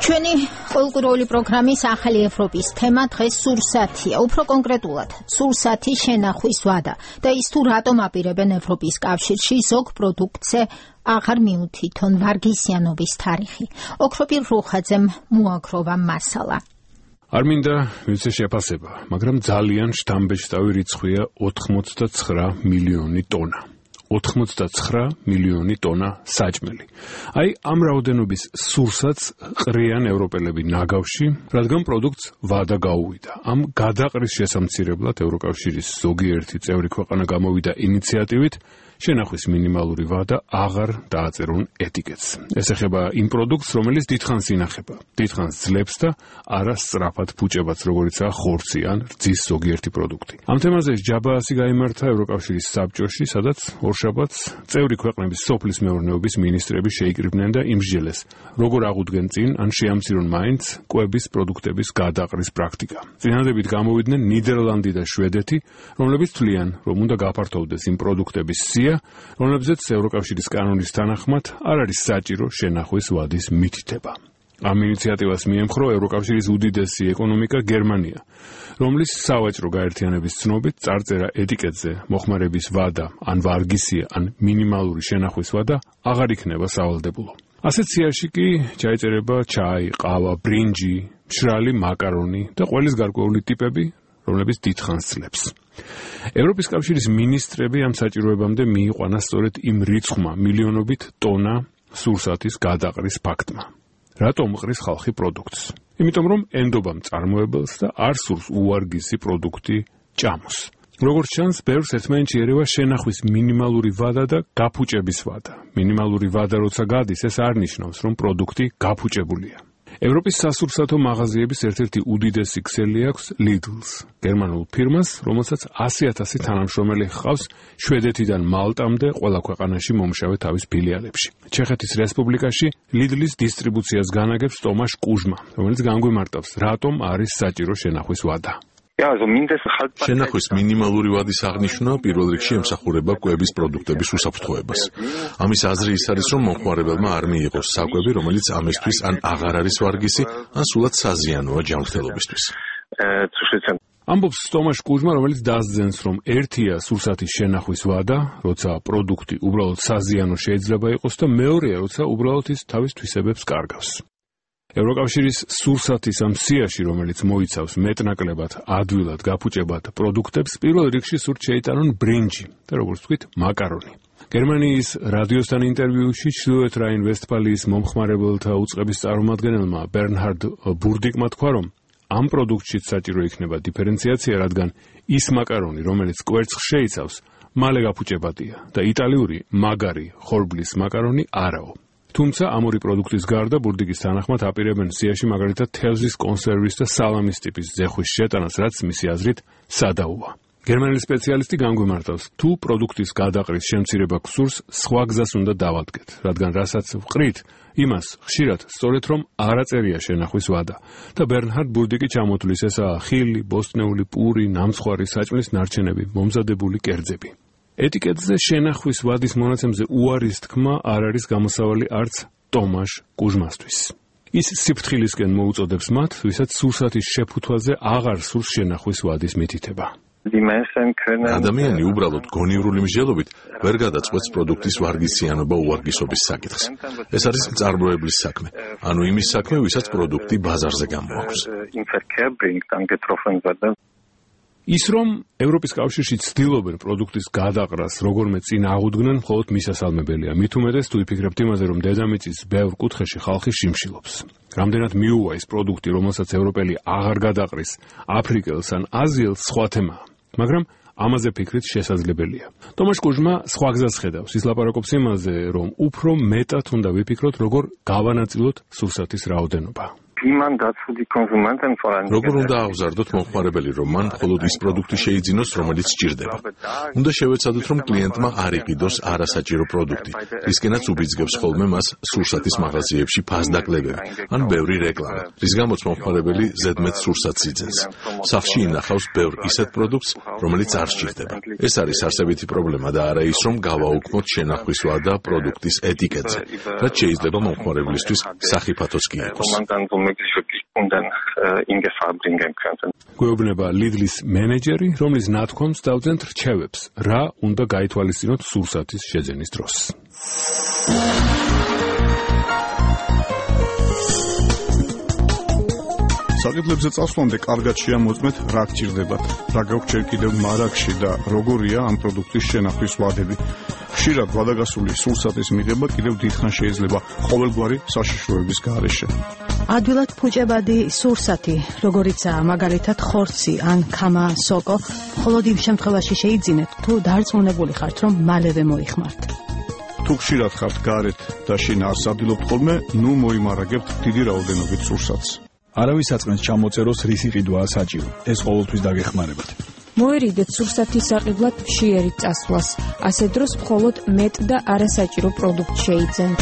ჩვენი ყოველკვირეული პროგრამის ახალი ევროპის თემა დღეს სურსათია, უფრო კონკრეტულად, სურსათი შენახვის ვადა და ის თუ რატომ აპირებენ ევროპის კავშირში ზოგ პროდუქტზე აღარ მიუთითონ ვარგისიანობის თარიღი. ოქროპირ რუხაძემ მოაგროვა მასალა. არ მინდა მივცე შეფასება, მაგრამ ძალიან შთამბეჭდავი რიცხვია 89 მილიონი ტონა. 89 მილიონი ტონა საჭმელი. აი ამ რაოდენობის სურსათს ყრიან ევროპელები ნაგავში, რადგან პროდუქტს ვადა გაუვიდა. ამ გადაყრის შესამცირებლად ევროკავშირის ზოგიერთი წევრი ქვეყანა გამოვიდა ინიციატივით შენახვის მინიმალური ვადა აღარ დააწერონ ეტიკეტს. ეს ეხება იმ პროდუქტს, რომელიც დიდხანს ინახება, დიდხანს ძლებს და არა სწრაფად ფუჭებაც, როგორიცაა ხორცი ან რძის ზოგიერთი პროდუქტი. ამ თემაზე ჯაბაასი გაიმართა ევროკავშირის საბჭოში, სადაც ორშაბათს წევრი ქვეყნების სოფლის მეურნეობის მინისტრები შეიკრიბნენ და იმსჯელეს, როგორ აღუდგენ წინ ან შეამცირონ მაინც კვების პროდუქტების გადაყრის პრაქტიკა. წინადებით გამოვიდნენ ნიდერლანდი და შვედეთი, რომლებიც თვლიან, რომ უნდა გაფართოვდეს იმ პროდუქტების რომლებზეც ევროკავშირის კანონის თანახმად არ არის საჭირო შენახვის ვადის მითითება. ამ ინიციატივას მიემხრო ევროკავშირის უდიდესი ეკონომიკა გერმანია, რომლის სავაჭრო გაერთიანების ცნობით წარწერა ეტიკეტზე მოხმარების ვადა ან ვარგისია ან მინიმალური შენახვის ვადა აღარ იქნება სავალდებულო. ასეთ სიაში კი ჩაიწერება ჩაი, ყავა, ბრინჯი, მშრალი მაკარონი და ყველის გარკვეული ტიპები, რომლებიც დიდხანს ძლებს. ევროპის კავშირის მინისტრები ამ საჭიროებამდე მიიყვანა სწორედ იმ რიცხვმა მილიონობით ტონა სურსათის გადაყრის ფაქტმა. რატომ ყრის ხალხი პროდუქტს? იმიტომ რომ ენდობა მწარმოებელს და არ სურს უვარგისი პროდუქტი ჭამოს. როგორც ჩანს, ბევრს ერთმანეთში ერევა შენახვის მინიმალური ვადა და გაფუჭების ვადა. მინიმალური ვადა როცა გადის, ეს არ ნიშნავს, რომ პროდუქტი გაფუჭებულია. ევროპის სასურსათო მაღაზიების ერთ-ერთი უდიდესი ქსელი აქვს Lidl-ს, გერმანულ ფირმას, რომელსაც 100,000 თანამშრომელი ჰყავს შვედეთიდან მალტამდე ყველა ქვეყანაში მომშავე თავის ფილიალებში. ჩეხეთის რესპუბლიკაში Lidl-ის დისტრიბუციას განაგებს ტომაშ კუჟმა, რომელიც განგვიმარტავს, რატომ არის საჭირო შენახვის ვადა. შენახვის მინიმალური ვადის აღნიშვნა პირველ რიგში ემსახურება კვების პროდუქტების უსაფრთხოებას. ამის აზრი ის არის, რომ მომხმარებელმა არ მიიღოს საკვები, რომელიც ამისთვის ან აღარ არის ვარგისი, ან სულად საზიანოა ჯანმრთელობისთვის. ამბობს ტომაშ კუჟმა, რომელიც დასძენს, რომ ერთია სურსათის შენახვის ვადა, როცა პროდუქტი უბრალოდ საზიანო შეიძლება იყოს და მეორეა, როცა უბრალოდ ის თავის თვისებებს კარგავს. ევროკავშირის სურსათის ამ სიაში, რომელიც მოიცავს მეტნაკლებად ადვილად გაფუჭებად პროდუქტებს, პირველ რიგში სურთ შეიტანონ ბრინჯი და როგორც ვთქვით, მაკარონი. გერმანიის რადიოსთან ინტერვიუში ჩრდილოეთ რაინ-ვესტფალიის მომხმარებელთა უწყების წარმომადგენელმა ბერნჰარდ ბურდიკმა თქვა, რომ ამ პროდუქტშიც საჭირო იქნება დიფერენციაცია, რადგან ის მაკარონი, რომელიც კვერცხს შეიცავს, მალე გაფუჭებადია და იტალიური მაგარი ხორბლის მაკარონი არაო. თუმცა ამ ორი პროდუქტის გარდა ბურდიკის თანახმად აპირებენ სიაში მაგალითად თევზის კონსერვის და სალამის ტიპის ზეხვის შეტანას, რაც მისი აზრით სადაოა. გერმანელი სპეციალისტი განგვიმარტავს, თუ პროდუქტის გადაყრის შემცირება გსურს, სხვა გზას უნდა დავადგეთ, რადგან რასაც ვყრით, იმას ხშირად სწორედ რომ არ აწერია შენახვის ვადა და ბერნჰარდ ბურდიკი ჩამოთვლის ესაა ხილი, ბოსტნეული პური, ნამცხვარი საჭმლის ნარჩენები, მომზადებული კერძები. ეტიკეტზე შენახვის ვადის მონაცემზე უარის თქმა არ არის გამოსავალი არც ტომაშ კუჟმასთვის. ის სიფრთხილისკენ მოუწოდებს მათ, ვისაც სურსათის შეფუთვაზე აღარ სურს შენახვის ვადის მითითება. ადამიანი უბრალოდ გონივრული მსჯელობით ვერ გადაწყვეტს პროდუქტის ვარგისიანობა უვარგისობის საკითხს. ეს არის მწარმოებლის საქმე, ანუ იმის საქმე, ვისაც პროდუქტი ბაზარზე გამოაქვს. ის რომ ევროპის კავშირში ცდილობენ პროდუქტის გადაყრას როგორმე წინ აღუდგნენ, მხოლოდ მისასალმებელია. მით უმეტეს თუ იფიქრებთ იმაზე, რომ დედამიწის ბევრ კუთხეში ხალხი შიმშილობს. რამდენად მიუვა ის პროდუქტი, რომელსაც ევროპელი აღარ გადაყრის აფრიკელს ან აზიელს, სხვა თემაა. მაგრამ ამაზე ფიქრით შესაძლებელია. ტომაშ კუჟმა სხვა გზას ხედავს. ის ლაპარაკობს იმაზე, რომ უფრო მეტად უნდა ვიფიქროთ, როგორ გავანაწილოთ სურსათის რაოდენობა. როგორ უნდა აღზარდოთ მომხმარებელი, რომ მან მხოლოდ ის პროდუქტი შეიძინოს, რომელიც სჭირდება. უნდა შევეცადოთ, რომ კლიენტმა არ იყიდოს არასაჭირო პროდუქტი, რისკენაც უბიძგებს ხოლმე მას სურსათის მაღაზიებში ფასდაკლებები ან ბევრი რეკლამა, რის გამოც მომხმარებელი ზედმეტ სურსათს იძენს. სახლში ინახავს ბევრ ისეთ პროდუქტს, რომელიც არ სჭირდება. ეს არის არსებითი პრობლემა და არა ის, რომ გავაუქმოთ შენახვისვა და პროდუქტის ეტიკეტზე, რაც შეიძლება მომხმარებლისთვის სახიფათოც კი იყოს. გვეუბნება Lidl-ის მენეჯერი, რომლის ნათქვამს დავძენთ რჩევებს, რა უნდა გაითვალისწინოთ სურსათის შეძენის დროს. საკითხებზე წასვლამდე კარგად შეამოწმეთ, რა გჭირდებათ, რა გაქვთ ჯერ კიდევ მარაგში და როგორია ამ პროდუქტის შენახვის ვადები. ხშირად ვადაგასული სურსათის მიღება კიდევ დიდხანს შეიძლება ყოველგვარი საშიშროების გარეშე. ადვილად ფუჭებადი სურსათი, როგორიცაა მაგალითად ხორცი ან ქამა სოკო, მხოლოდ იმ შემთხვევაში შეიძინეთ, თუ დარწმუნებული ხართ, რომ მალევე მოიხმართ. თუ ხშირად ხართ გარეთ და შინ არ სარდილობთ ხოლმე, ნუ მოიმარაგებთ დიდი რაოდენობით სურსათს. არავის საწყენს ჩამოწეროს რისი ყიდვაა საჭირო. ეს ყოველთვის დაგეხმარებათ. მოერიდეთ სურსათის საყიდლად მშიერით წასვლას. ასე დროს მხოლოდ მეტ და არასაჭირო პროდუქტ შეიძენთ.